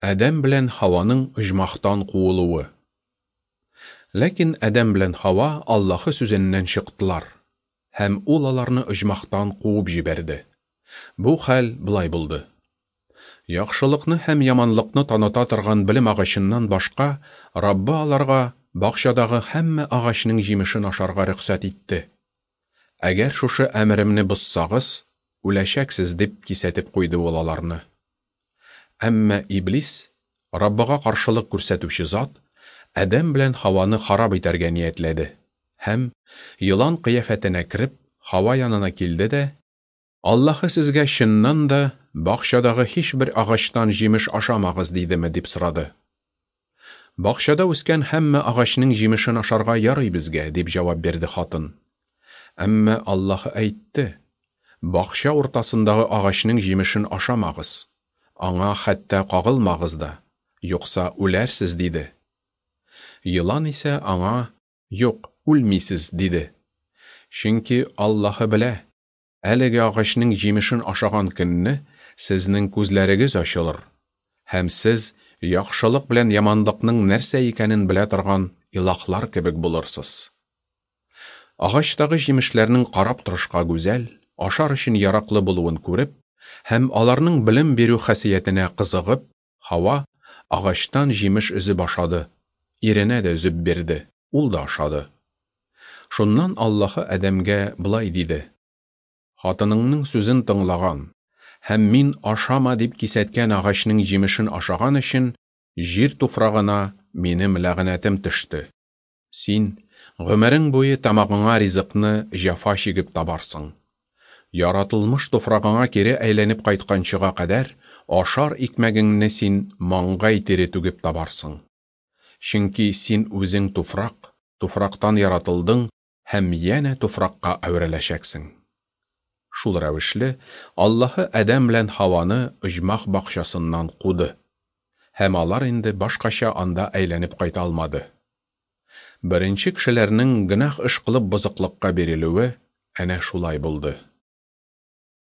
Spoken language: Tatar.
Адәм белән Һаваның оҗмахтан куылуы. Ләкин Адәм белән Һава Аллаһы сүзеннән чыктылар, һәм Ул аларны оҗмахтан куып җибәрде. Бу хәл болай булды. Яхшылыкны һәм яманлыкны таныта торган белем агачыннан башка, Раббы аларга бакчадагы һәммә агачның җимешен ашарга рөхсәт итте. Әгәр шушы әмеремне бозсагыз, үләчәксез, дип кисәтеп куйды ул аларны. Әмма Иблис, Раббыга каршылык күрсәтүче зат, Адәм белән Һаваны харап итәргә ниятләде һәм, елан кыяфәтенә кереп, Һава янына килде дә, Аллаһы сезгә чыннан да бакчадагы һичбер агачтан җимеш ашамагыз дидеме, дип сорады. Бакчада үскән һәммә агачның җимешен ашарга ярый безгә, дип җавап бирде хатын. Әмма Аллаһы әйтте, бакча уртасындагы агачның җимешен ашамагыз, аңа хәтта кагылмагыз да, юкса үләрсез, диде. Елан исә аңа, юк, үлмисез, диде. Чөнки Аллаһы белә, әлеге агачның җимешен ашаган көнне сезнең күзләрегез ачылыр, һәм сез яхшылык белән яманлыкның нәрсә икәнен белә торган илаһлар кебек булырсыз. Агачтагы җимешләрнең карап торышка гүзәл, ашар өчен яраклы булуын күреп, һәм аларның белем бирү хасиятенә кызыгып, Һава агачтан җимеш өзеп ашады, иренә дә өзеп бирде, ул да ашады. Шуннан Аллаһы Адәмгә болай диде: Хатыныңның сүзен тыңлаган һәм мин ашама дип кисәткән агачның җимешен ашаган өчен җир туфрагына минем ләгънәтем төште. Син гомерең буе тамагыңа ризыкны җәфа чигеп табарсың. Яратылмыш туфрагыңа кире әйләнеп кайтканчыга кадәр ашар икмәгеңне син маңгай тире түгеп табарсың. Чөнки син үзең туфрак, туфрактан яратылдың һәм янә туфракка әвереләчәксең. Шул рәвешле Аллаһы Адәм белән Һаваны оҗмах бакчасыннан куды. Һәм алар инде башкача анда әйләнеп кайта алмады. Беренче кешеләрнең гөнаһ эш кылып бозыклыкка бирелүе әнә шулай булды.